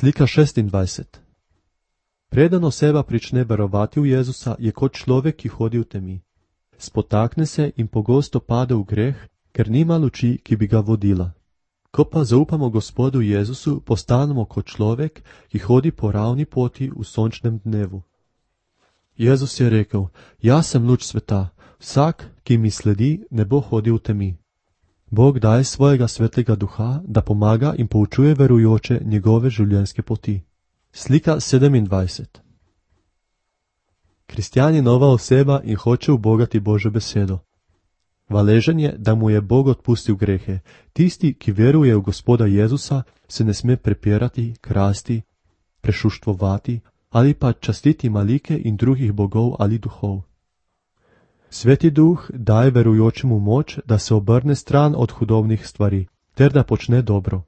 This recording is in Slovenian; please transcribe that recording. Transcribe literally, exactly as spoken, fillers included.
Slika šestindvajset. Preden oseba prične verovati v Jezusa, je kot človek, ki hodi v temi. Spotakne se in pogosto pade v greh, ker nima luči, ki bi ga vodila. Ko pa zaupamo Gospodu Jezusu, postanemo kot človek, ki hodi po ravni poti v sončnem dnevu. Jezus je rekel: Jaz sem luč sveta, vsak, ki mi sledi, ne bo hodil v temi. Bog daje svojega svetlega duha, da pomaga in poučuje verujoče njegove življenjske poti. Slika sedemindvajset. Kristjan je nova oseba in hoče ubogati Božjo besedo. Hvaležen je, da mu je Bog odpustil grehe. Tisti, ki veruje v Gospoda Jezusa, se ne sme prepirati, krasti, prešuštvovati ali pa častiti malike in drugih bogov ali duhov. Sveti duh daje verujočemu moč, da se obrne stran od hudobnih stvari, ter da počne dobro.